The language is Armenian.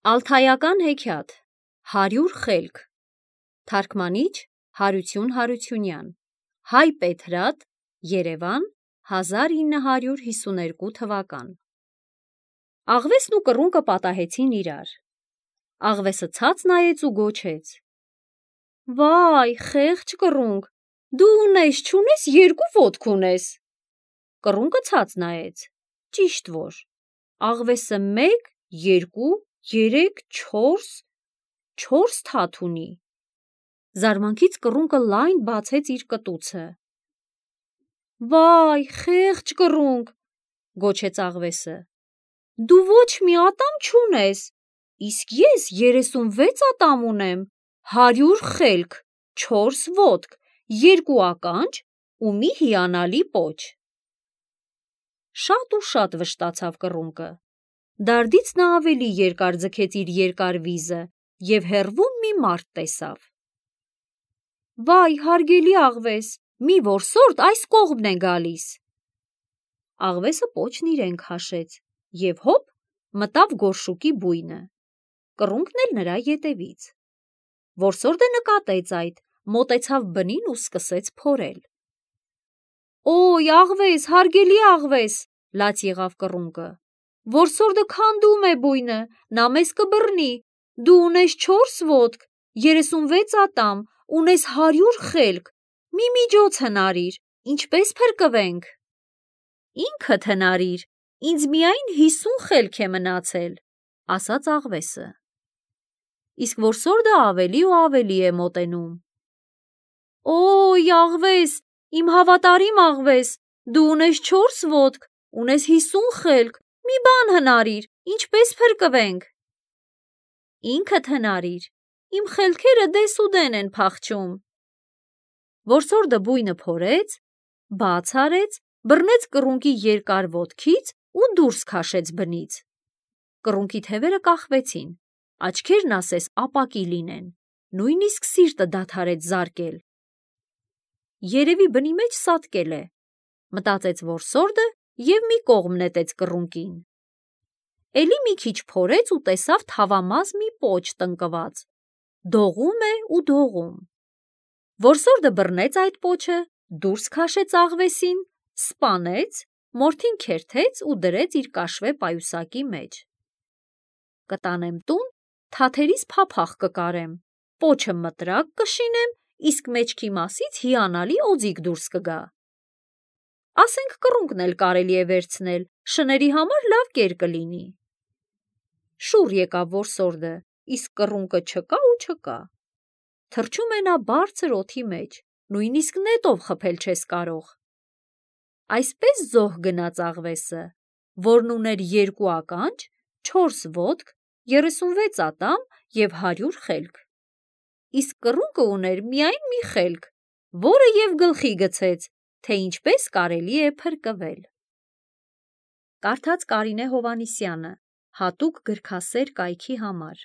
Ալթայական հեքիաթ 100 խելք Թարգմանիչ Հարություն Հարությունյան Հայ Պետրատ Երևան 1952 թվական Աղվեսն ու կռունկը պատահեցին իրար։ Աղվեսը ցած նայեց ու գոչեց. Վայ, խեղճ կռունկ, դու ունես չունես երկու ոտք ունես։ Կռունկը ցած նայեց, ճիշտ որ աղվեսը 1, 2, 3, 4 թաթ ունի։ Զարմանքից կռունկը լայն բացեց իր կտուցը։ Վայ, խեղճ կռունկ, գոչեց աղվեսը, դու ոչ մի ատամ չունես, իսկ ես 36 ատամ ունեմ, 100 խելք, 4 ոտք, 2 ականջ ու մի հիանալի պոչ։ Շատ ու շատ վշտացավ կռունկը։ Դարդից նա ավելի երկար ձգեց իր երկար վիզը և հեռվում մի մարդ տեսավ։ Վայ, հարգելի աղվես, մի որսորդ այս կողմն է գալիս։ Աղվեսը պոչն իրեն քաշեց և հոպ մտավ գորշուկի բույնը։ Կռունկն էլ նրա ետևից։ Որսորդը նկատեց այդ, մոտեցավ բնին ու սկսեց փորել։ Օй, աղվես, հարգելի աղվես, լաց եղավ կռունկը, որսորդը քանդում է բույնը, նա մեզ կբռնի, դու ունես 4 ոտք, 36 ատամ, ունես 100 խելք, մի միջոց հնարիր, ինչպես փրկվենք։ Ինքդ հնարիր, ինձ միայն 50 խելք է մնացել, ասաց աղվեսը։ Իսկ որսորդը ավելի ու ավելի է մոտենում։ Օй, աղվես, իմ հավատարիմ աղվես, դու ունես 4 ոտք, ունես 50 խելք, մի բան հնարիր, ինչպես փրկվենք։ Ինքդ հնարիր, իմ խելքերը դեսուդեն են փախչում։ Որսորդը բույնը փորեց, բաց արեց, բռնեց կռունկի երկար ոտքից ու դուրս քաշեց բնից։ Կռունկի թևերը կախվեցին, աչքերն ասես ապակի լինեն, նույնիսկ սիրտը դադարեց զարկել։ Երևի բնի մեջ սատկել է, մտածեց որսորդը և մի կողմ նետեց կռունկին։ Էլի մի քիչ փորեց ու տեսավ թավամաս մի պոչ տնկված, դողում է ու դողում։ Որսորդը բռնեց այդ պոչը, դուրս քաշեց աղվեսին, սպանեց, մորթին քերթեց ու դրեց իր կաշվե պայուսակի մեջ։ Կտանեմ տուն, թաթերիս փափախ կկարեմ, պոչը մտրակ կշինեմ, իսկ մեջքի մասից հիանալի օձիք դուրս կգա։ Ասենք կռունկն էլ կարելի է վերցնել, շների համար լավ կեր կլինի։ Շուռ եկավ որսորդը, իսկ կռունկը չկա ու չկա։ Թռչում է նա բարձր օդի մեջ, նույնիսկ նետով խփել չես կարող։ Այսպես զոհ գնաց աղվեսը, որն ուներ 2 ականջ, 4 ոտք, 36 ատամ և 100 խելք։ Իսկ կռունկը ուներ միայն մի խելք, որը և գլխի գցեց, թե ինչպես կարելի է փրկվել։ Կարդաց Կարինե Հովհաննիսյանը, հատուկ գրքասեր կայքի համար։